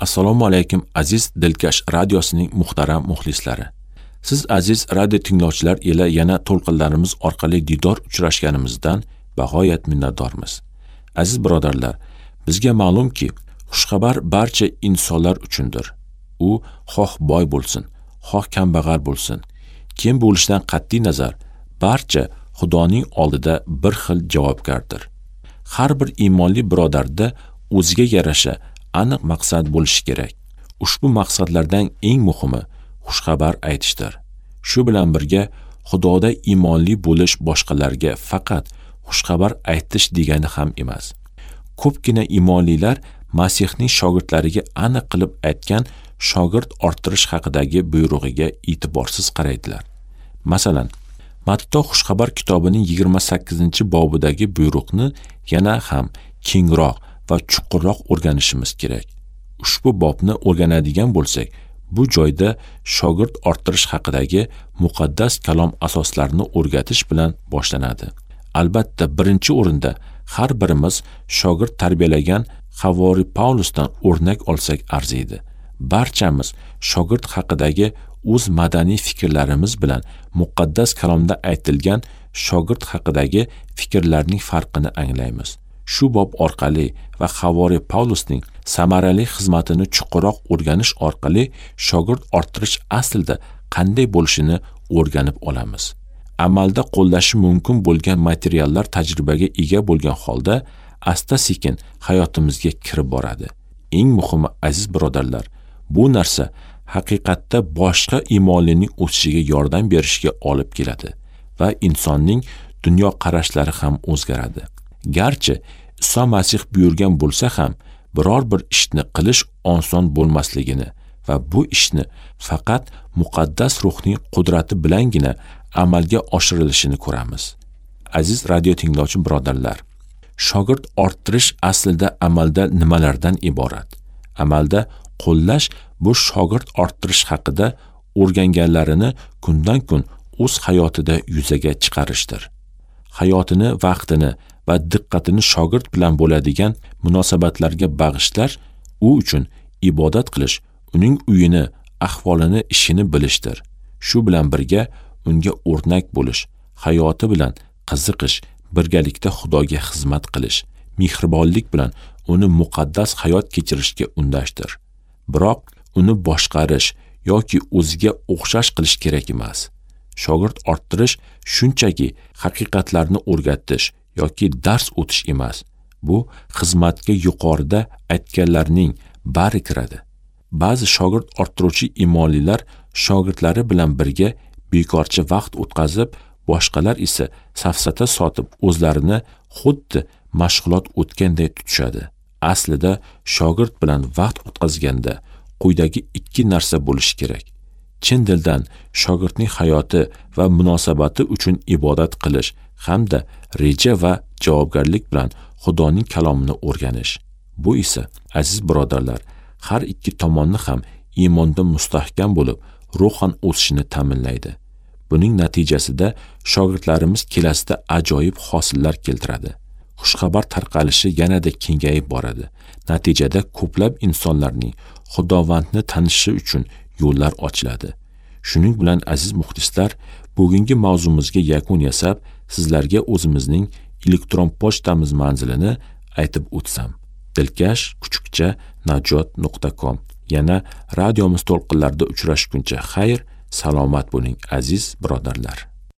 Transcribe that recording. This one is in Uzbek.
Assalomu alaykum aziz Dilkash radiosining muhtaram muxlislari. Siz aziz radio tinglovchilar ila yana to'lqinlarimiz orqali didor uchrashganimizdan bag'oyat minnatdormiz. Aziz birodarlar, bizga ma'lumki, xushxabar barcha insonlar uchundir. U xoh boy bo'lsin, xoh kambag'al bo'lsin, kim bo'lishidan qat'iy nazar, barcha Xudoning oldida bir xil javobgardir. Har bir iymonli birodarda o'ziga yarasha aniq maqsad bo'lishi kerak. Ushbu maqsadlardan eng muhimi xushxabar aytishdir. Shu bilan birga Xudoda iymonli bo'lish boshqalarga faqat xushxabar aytish degani ham emas. Ko'pgina iymonlilar Masihning shogirdlariga aniq qilib aytgan shogird orttirish haqidagi buyrug'iga e'tiborsiz qaraydilar. Masalan, Matto xushxabar kitobining 28-bobidagi buyruqni yana ham kengroq va chuqurroq o'rganishimiz kerak. Ushbu bobni o'rganadigan bo'lsak, bu joyda shogird orttirish haqidagi muqaddas kalom asoslarini o'rgatish bilan boshlanadi. Albatta, birinchi o'rinda har birimiz shogird tarbiyalagan Havori Paulusdan o'rnak olsak arziydi. Barchamiz shogird haqidagi o'z madaniy fikrlarimiz bilan muqaddas kalomda aytilgan shogird haqidagi fikrlarning farqini anglaymiz. Shu bob orqali va Havori Paulusning samarali xizmatini chuqurroq o'rganish orqali shogird orttirish aslida qanday bo'lishini o'rganib olamiz. Amalda qo'llashi mumkin bo'lgan materiallar tajribaga ega bo'lgan holda asta-sekin hayotimizga kirib boradi. Eng muhimi, aziz birodarlar, bu narsa haqiqatda boshqa iymonlining o'sishiga yordam berishga olib keladi va insonning dunyoqarashlari ham o'zgaradi. Garchi Iso Masih buyurgan bo'lsa ham, biror bir ishni qilish oson bo'lmasligini va bu ishni faqat muqaddas ruhning qudrati bilangina amalga oshirilishini ko'ramiz. Aziz radio tinglovchi birodarlar, shogird orttirish aslida amalda nimalardan iborat? Amalda qo'llash bu shogird orttirish haqida o'rganganlarini kundan kun o'z hayotida yuzaga chiqarishdir. Hayotini, vaqtini va diqqatini shogird bilan bo'ladigan munosabatlarga bag'ishlash, u uchun ibodat qilish, uning uyini, ahvolini, ishini bilishdir. Shu bilan birga unga o'rnak bo'lish, hayoti bilan qiziqish, birgalikda Xudoga xizmat qilish, mehribonlik bilan uni muqaddas hayot kechirishga undashdir. Biroq uni boshqarish yoki o'ziga o'xshash qilish kerak emas. Shogird orttirish shunchaki haqiqatlarni o'rgatish yoki dars o'tish emas. Bu xizmatga yuqorida aytganlarning bari kiradi. Ba'zi shogird orttiruvchi iymonlilar shogirdlari bilan birga bekorchi vaqt o'tkazib, boshqalar esa safsata sotib o'zlarini xuddi mashg'ulot o'tganday tutishadi. Aslida shogird bilan vaqt o'tkazganda quyidagi ikki narsa bo'lishi kerak. Chin dildan shogirdning hayoti va munosabati uchun ibodat qilish hamda reja va javobgarlik bilan Xudoning kalomini o'rganish. Bu esa, aziz birodarlar, har ikki tomonni ham iymonda mustahkam bo'lib, ruhan o'sishini ta'minlaydi. Buning natijasida shogirdlarimiz kelasida ajoyib hosillar keltiradi. Xushxabar tarqalishi yanada kengayib boradi. Natijada ko'plab insonlarning Xudovandni tanishi uchun yo'llar ochiladi. Shuning bilan aziz muxlislar, bugungi mavzumizga yakun yasab, sizlarga o'zimizning elektron pochtamiz manzilini aytib o'tsam. dilkash@najot.com. Yana radiomiz to'lqinlarida uchrashguncha xayr, salomat bo'ling aziz birodarlar.